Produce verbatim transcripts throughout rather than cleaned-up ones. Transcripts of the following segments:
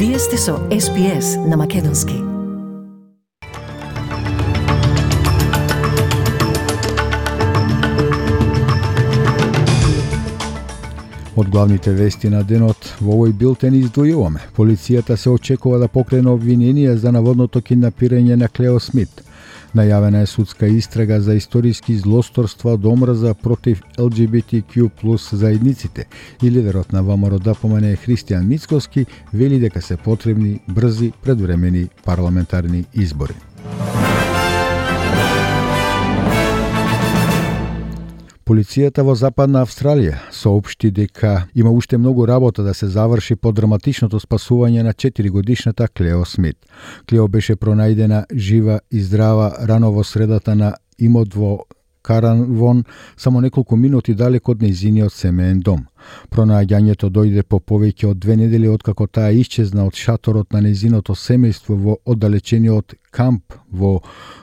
Вие сте со Ес Би Ес на Македонски. Од главните вести на денот во овој билтен издвојуваме. Полицијата се очекува да покрене обвиненија за наводното киднапирање на Клео Смит. Најавена е судска истрага за историски злосторства од омраза против Ел Џи Би Ти Ку плюс заедниците и лидерот на ВМРО Д П М Н Христијан Мицкоски вели дека се потребни брзи предвремени парламентарни избори. Полицијата во Западна Австралија соопшти дека има уште многу работа да се заврши по драматичното спасување на четиригодишната Клео Смит. Клео беше пронајдена жива и здрава рано во средата на имот во Карнарвон, само неколку минути далеко од нејзиниот семеен дом. Пронаѓањето дојде по повеќе од две недели откако таа исчезна од шаторот на нејзиното семејство во оддалечениот камп во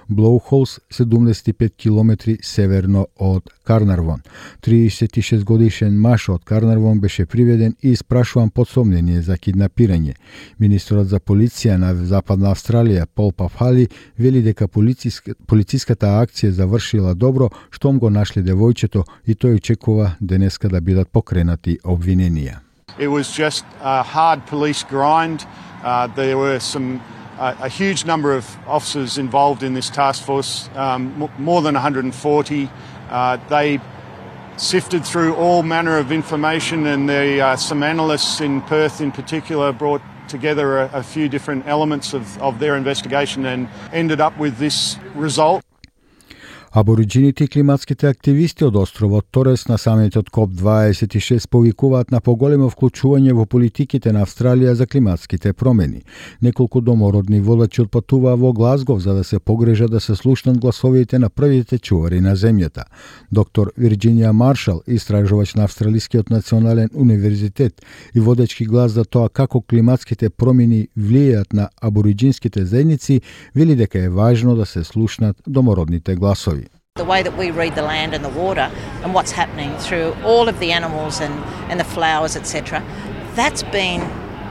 Блоухолс, седумдесет и пет километри северно од Карнарвон. триесет и шест годишен маж од Карнарвон беше приведен и испрашуван под сомнение за киднапирање. Министерот за полиција на Западна Австралија Пол Пафали вели дека полициска, полициската акција завршила добро, штом го нашле девојчето и тој очекува денеска да бидат покренати обвиненија. It was just a hard police grind. Uh, there were some uh, a huge number of officers involved in this task force, um, more than one hundred forty. Uh, they sifted through all manner of information, and the, uh, some analysts in Perth in particular brought together a, a few different elements of, of their investigation and ended up with this result. Абориджините и климатските активисти од островот Торес на самитот Коп дваесет и шест повикуваат на поголемо вклучување во политиките на Австралија за климатските промени. Неколку домородни водачи отпатуваа во Глазгов за да се погрежат да се слушнат гласовите на првите чувари на земјата. Доктор Вирџинија Маршал, истражувач на Австралискиот национален универзитет и водечки глас за тоа како климатските промени влијаат на абориджинските заедници, вели дека е важно да се слушнат домородните гласови. The way that we read the land and the water and what's happening through all of the animals and, and the flowers, et cetera, that's been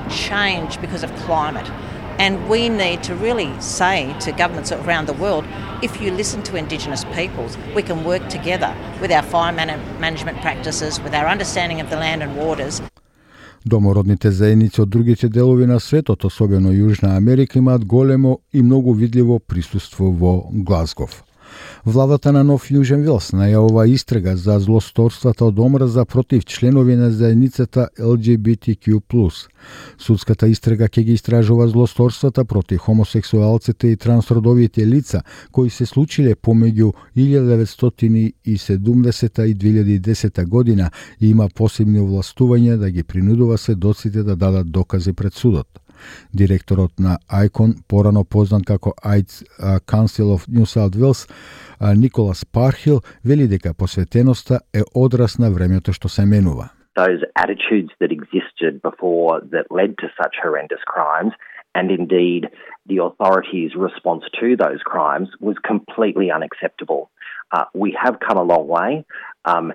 changed because of climate. And we need to really say to governments around the world, if you listen to Indigenous peoples, we can work together with our fire man- management practices, with our understanding of the land and waters. Домородните заедници од другите делови на светот, особено Јужна Америка, имаат големо и многу видливо присуство во Глазгов. Владата на Нов Јужен Велс најавува истрага за злосторствата од омраза против членови на заедницата Ел Џи Би Ти Ку плюс. Судската истрага ќе ги истражува злосторствата против хомосексуалците и трансродовите лица кои се случиле помеѓу илјада деветстотини и седумдесета и две илјади и десета година и има посебни овластувања да ги принудува сведоците да дадат докази пред судот. Директорот на Айкон, порано познат како AIDS Council of New South Wales, Николас Пархил, вели дека посветеноста е одраз на времето што се менува. Those attitudes that existed before that led to such horrendous crimes, and indeed the authorities' response to those crimes, was completely unacceptable. Uh, we have come a long way, um,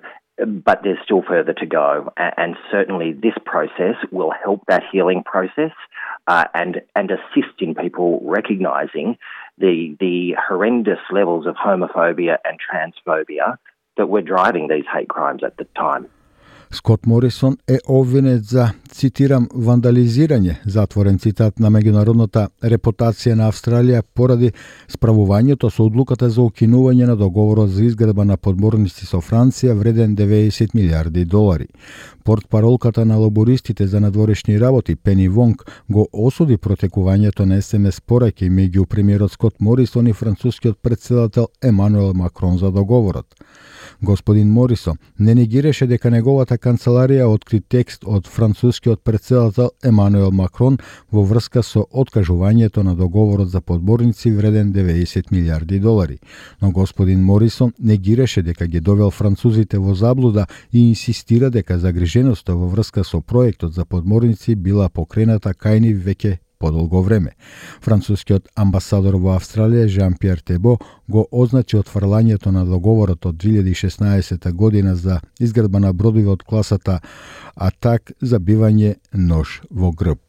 but there's still further to go, and certainly this process will help that healing process uh, and and assist in people recognising the the horrendous levels of homophobia and transphobia that were driving these hate crimes at the time. Скот Морисон е обвинет за, цитирам, вандализирање, затворен цитат, на меѓународната репутација на Австралија поради справувањето со одлуката за укинување на договорот за изградба на подморници со Франција вреден деветдесет милиарди долари. Портпаролката на лабористите за надворешни работи Пени Вонг го осуди протекувањето на ес ем ес пораќаи меѓу премиерот Скот Морисон и францускиот претседател Емануел Макрон за договорот. Господин Морисон не негираше дека неговата канцеларија откри текст од францускиот претседател Емануел Макрон во врска со откажувањето на договорот за подморници вреден деветдесет милиарди долари. Но господин Морисон негираше дека ги довел французите во заблуда и инсистира дека загриженоста во врска со проектот за подморници била покрената кај нив веќе подолго време. Францускиот амбасадор во Австралија Жан-Пиер Тебо го означи отфрлањето на договорот од две илјади и шеснаесета година за изградба на бродови од класата Атак за бивање нож во грб.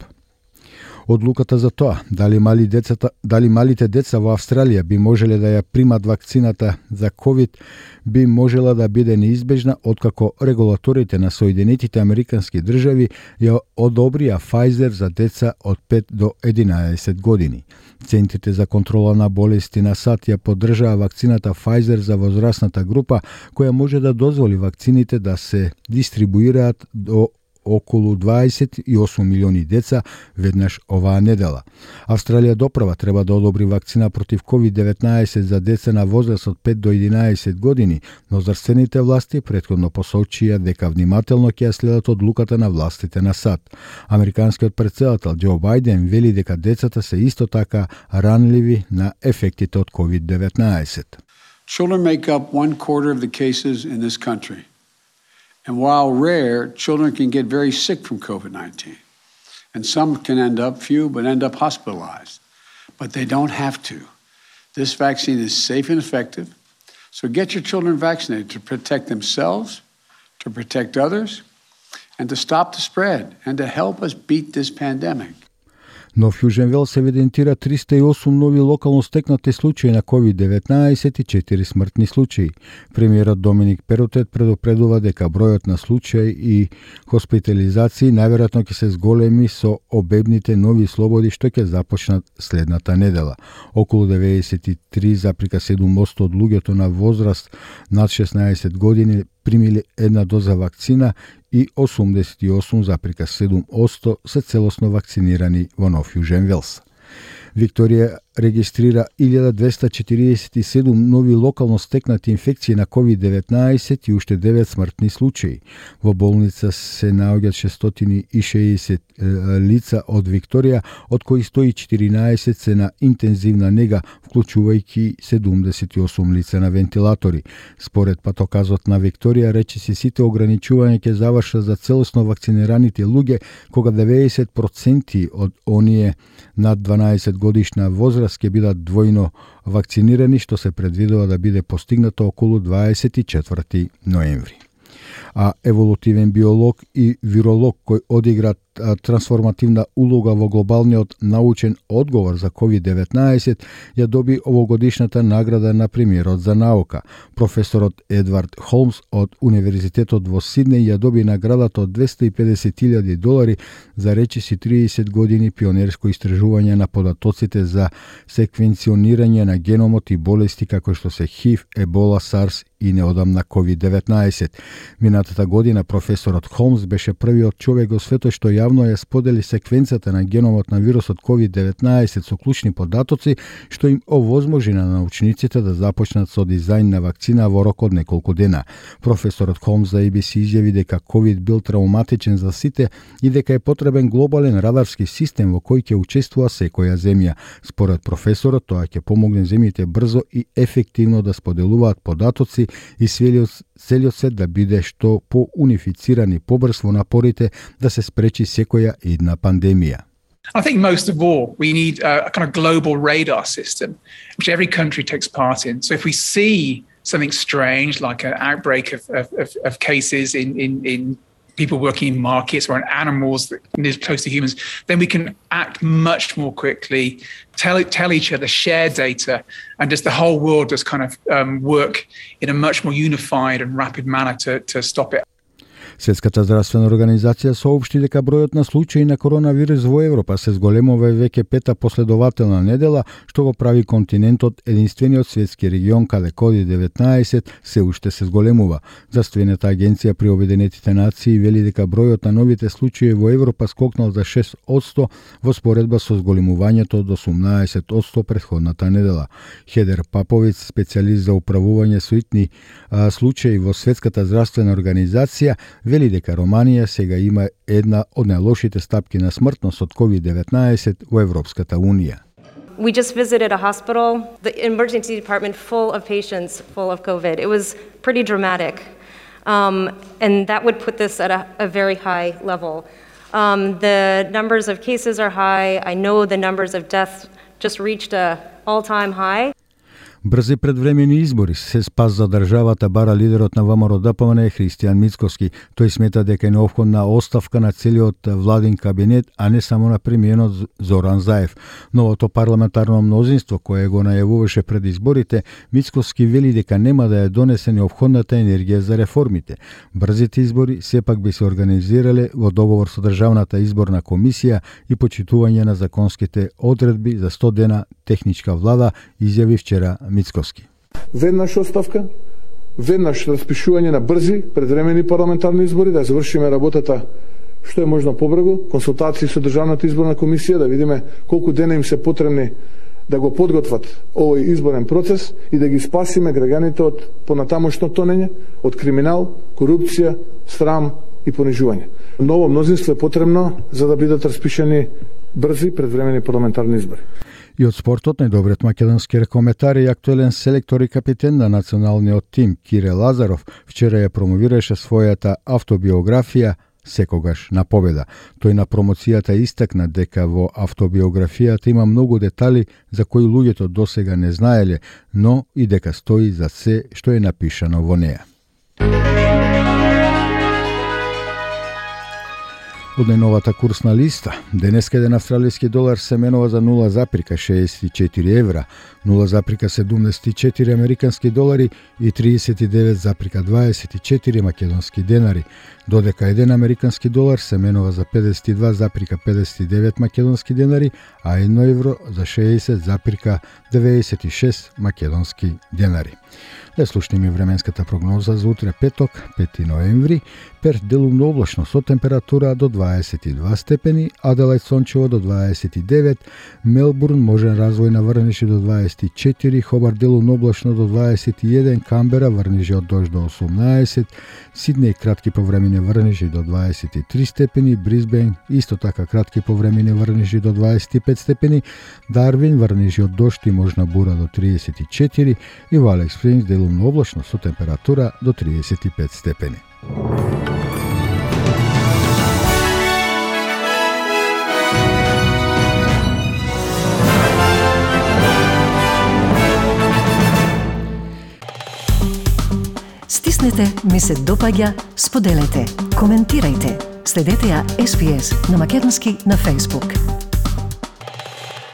Одлуката за тоа дали мали децата, дали малите деца во Австралија би можеле да ја примат вакцината за ковид би можела да биде неизбежна откако регулаторите на Соединетите Американски држави ја одобрија Pfizer за деца од пет до единаесет години. Центрите за контрола на болести на САД ја поддржаа вакцината Pfizer за возрастната група, која може да дозволи вакцините да се дистрибуираат до околу дваесет и осум милиони деца веднаш оваа недела. Австралија допрва треба да одобри вакцина против ковид деветнаесет за деца на возраст од пет до единаесет години, но здравствените власти претходно посочија дека внимателно ќе ја следат одлуката на властите на САД. Американскиот претседател Џо Бајден вели дека децата се исто така ранливи на ефектите од ковид деветнаесет. Children make up one quarter of the cases in this country. And while rare, children can get very sick from COVID nineteen. And some can end up, few, but end up hospitalized. But they don't have to. This vaccine is safe and effective. So get your children vaccinated to protect themselves, to protect others, and to stop the spread, and to help us beat this pandemic. Но в Јужен Велс се евидентира триста и осум нови локално стекнати случаи на ковид деветнаесет и четири смртни случаи. Премиерот Доминик Перотет предупредува дека бројот на случаи и хоспитализации најверојатно ќе се зголеми со обемните нови слободи што ќе започнат следната недела. Околу деветдесет и три запирка седум одсто од луѓето на возраст над шеснаесет години примиле една доза вакцина и осумдесет и осум запирка седум одсто се целосно вакцинирани во Нов Јужен Велс. Викторија регистрира илјада двесте четиридесет и седум нови локално стекнати инфекции на ковид деветнаесет и уште девет смртни случаи. Во болница се наоѓаат шестстотини и шеесет лица од Викторија, од кои сто и четиринаесет се на интензивна нега, вклучувајќи седумдесет и осум лица на вентилатори. Според патоказот на Викторија, речиси сите ограничувања ќе завршат за целосно вакцинираните луѓе, кога деветдесет проценти од оние над дванаесет годишна возраст ќе бидат двојно вакцинирани, што се предвидува да биде постигнато околу дваесет и четврти ноември. А еволутивен биолог и виролог кој одигра трансформативна улога во глобалниот научен одговор за ковид деветнаесет ја доби овогодишната награда на премиерот за наука. Професорот Едвард Холмс од Универзитетот во Сиднеј ја доби наградата од двесте и педесет илјади долари за речиси триесет години пионерско истражување на податоците за секвенционирање на геномот и болести како што се ХИВ, Ебола, Сарс и неодамна ковид деветнаесет. Минатата година професорот Холмс беше првиот човек во светот што јавно ја сподели секвенцата на геномот на вирусот ковид деветнаесет со клучни податоци, што им овозможи на научниците да започнат со дизајн на вакцина во рок од неколку дена. Професорот Холмс за Ей Би Си изјави дека ковид бил травматичен за сите и дека е потребен глобален радарски систем во кој ќе учествува секоја земја. Според професорот, тоа ќе помогне земјите брзо и ефективно да споделуваат податоци и целиот свет да биде што по-унифициран и побрз во напорите да се спречи секоја идна пандемија. I think most of all, we need a, a kind of global radar system, which every country takes part in. So if we see something strange, like an outbreak of, of, of cases in, in, in people working in markets or in animals that live close to humans, then we can act much more quickly, tell tell each other, share data, and just the whole world just kind of um, work in a much more unified and rapid manner to, to stop it. Светската здравствена организација соопшти дека бројот на случаи на коронавирус во Европа се зголемува веќе пета последователна недела, што го прави континентот единствениот светски регион каде ковид деветнаесет се уште се зголемува. Здравствената агенција при Обединетите нации вели дека бројот на новите случаи во Европа скокнал за шест одсто во споредба со зголемувањето од осумнаесет одсто претходната недела. Хедер Паповиц, специјалист за управување со итни а, случаи во Светската здравствена организација, вели дека Романија сега има една од најлошите стапки на смртност од ковид деветнаесет во Европската Унија. We just visited a hospital, the emergency department full of patients full of COVID. It was pretty dramatic. Um, and that would put this at a, a very high level. Um, the numbers of cases are high. I know the numbers of deaths just reached an all-time high. Брзи предвремени избори се спас за државата, бара лидерот на ВМРО-ДПМН Христијан Мицкоски. Тој смета дека е неопходна оставка на целиот владин кабинет, а не само на премиерот Зоран Заев. Новото парламентарно мнозинство кое го најавуваше пред изборите, Мицкоски вели дека нема да ја донесе неопходната енергија за реформите. Брзите избори сепак би се организирале во договор со Државната изборна комисија и почитување на законските одредби за сто дена техничка влада, изјави вчера Мицкоски. Веднаш оставка, веднаш распишување на брзи предвремени парламентарни избори, да завршиме работата што е можно побрзо, консултации со Државната изборна комисија, да видиме колку дена им се потребни да го подготват овој изборен процес и да ги спасиме граѓаните од понатамошно тонење, од криминал, корупција, срам и понижување. Ново мнозинство е потребно за да бидат распишани брзи предвремени парламентарни избори. И од спортот најдобриот македонски рекометар и актуелен селектор и капитен на националниот тим Кире Лазаров вчера ја промовираше својата автобиографија Секогаш на победа. Тој на промоцијата истакна дека во автобиографијата има многу детали за кои луѓето досега не знаеле, но и дека стои за се што е напишано во неа. Од најновата курсна листа, денеска еден австралиски долар се менува за нула запирка шеесет и четири евра, нула запирка седумдесет и четири американски долари и триесет и девет запирка дваесет и четири македонски денари, додека еден американски долар се менува за педесет и два запирка педесет и девет македонски денари, а едно евро за шеесет запирка деведесет и шест македонски денари. Да слушнеме временската прогноза за утре петок, пети ноември, Перт делумно облачно со температура до дваесет и два степени, Аделајд сончево до дваесет и девет, Мелбурн можен развој на врнежи до дваесет и четири, Хобарт делумно облачно до дваесет и еден, Камбера врнежи од дожд до осумнаесет, Сиднеј кратки повремени врнежи до дваесет и три степени, Брисбен исто така кратки повремени врнежи до дваесет и пет степени, Дарвин врнежи од дожд и можна бура до триесет и четири и во Алекс Спрингс делумно облачно со температура до триесет и пет степени. Стиснете, ми се допаѓа, споделете, коментирајте. Следете ја Ес Би Ес на македонски на Facebook.